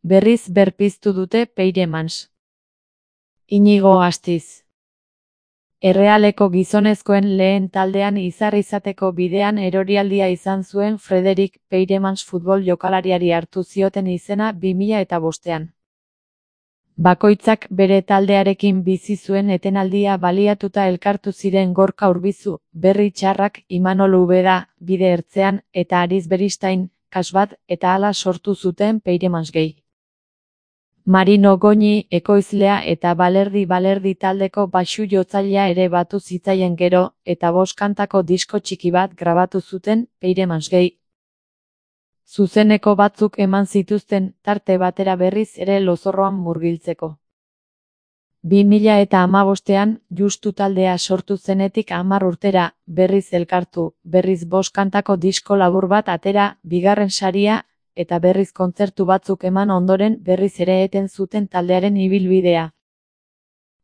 Berriz berpiztu dute Peiremans. Inigo Astiz. Errealeko gizonezkoen lehen taldean izateko bidean erorialdia izan zuen Frederik Peiremans futbol jokalariari hartu zioten izena 2005ean. Bakoitzak bere taldearekin bizi zuen etenaldia baliatuta elkartu ziren Gorka Urbizu, Berri Txarrak, Imanol Ubeda, Bide Ertzean, eta Aritz Beristain, Kasbat, eta hala sortu zuten Peiremans Gay. Marino Goñi, ekoizlea eta Balerdi taldeko baxu jotzailea ere batu zitzaien gero, eta 5 kantako disko txiki bat grabatu zuten Peiremans Gay. Zuzeneko batzuk eman zituzten, tarte batera berriz ere lozorroan murgiltzeko. 2015ean, Justu taldea sortu zenetik 10 urtera, berriz elkartu, berriz 5 kantako disko labur bat atera, 2. saria, eta berriz kontzertu batzuk eman ondoren berriz ere eten zuten taldearen ibilbidea.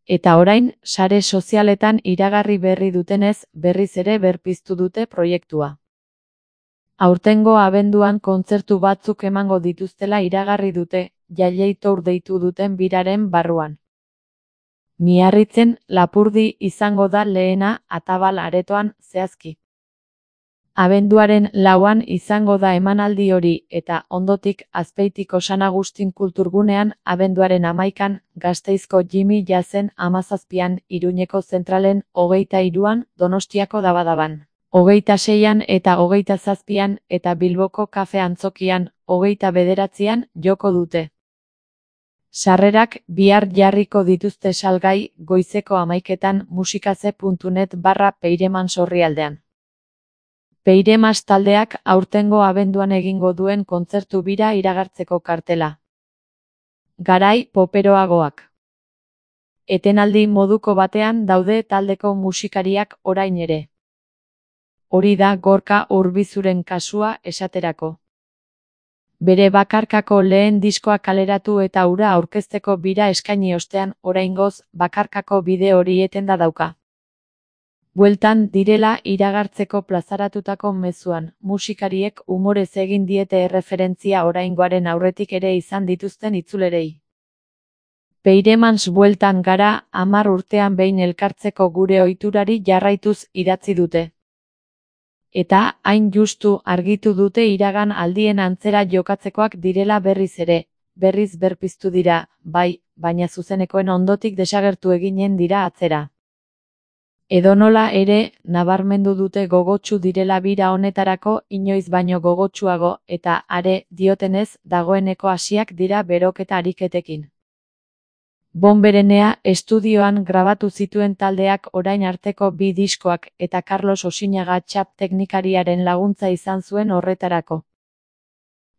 Eta orain, sare sozialetan iragarri berri dutenez, berriz ere berpiztu dute proiektua. Aurtengo abenduan kontzertu batzuk emango dituztela iragarri dute, Jailei Tour deitu duten biraren barruan. Miarritzen, Lapurdi izango da lehena, Atabal aretoan, zehazki. Abenduaren 4an izango da emanaldi hori, eta ondotik Azpeitiko San Agustin kulturgunean, abenduaren 11an, Gasteizko Jimmy Jazzen 17an, Iruñeko Zentralen 23an, Donostiako Dabadaban 26an eta 27an, eta Bilboko Kafe Antzokian 29an joko dute. Sarrerak bihar jarriko dituzte salgai, goizeko 11etan musikaze.net/Peiremans orrialdean. Peiremans taldeak aurtengo abenduan egingo duen kontzertu bira iragartzeko kartela. Garai poperoagoak. Etenaldi moduko batean daude taldeko musikariak orain ere. Hori da Gorka Urbizuren kasua esaterako. Bere bakarkako lehen diskoa kaleratu eta hura aurkezteko bira eskaini ostean, oraingoz, bakarkako bide hori etenda dauka. Bueltan direla iragartzeko plazaratutako mezuan, musikariek umorez egin diete erreferentzia oraingoaren aurretik ere izan dituzten itzulerei. Peiremans bueltan gara, 10 urtean behin elkartzeko gure ohiturari jarraituz idatzi dute. Eta, hain justu argitu dute iragan aldien antzera jokatzekoak direla berriz ere, berriz berpiztu dira, bai, baina zuzenekoen ondotik desagertu eginen dira atzera. Edonola ere, nabarmendu dute gogotsu direla bira honetarako inoiz baino gogotsuago, eta are, diotenez, dagoeneko hasiak dira beroketa ariketekin. Bonberenea estudioan grabatu zituen taldeak orain arteko 2 diskoak eta Carlos Osinaga txap teknikariaren laguntza izan zuen horretarako.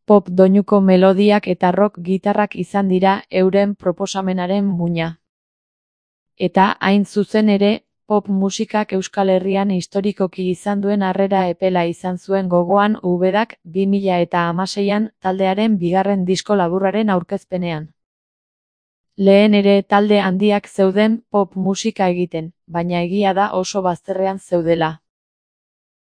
Pop doinuko melodiak eta rock gitarrak izan dira euren proposamenaren muina. Eta hain zuzen ere, pop musikak Euskal Herrian historikoki izan duen harrera epela izan zuen gogoan Ubedak 2016an taldearen 2. disko laburraren aurkezpenean. Lehen ere talde handiak zeuden pop musika egiten, baina egia da oso bazterrean zeudela.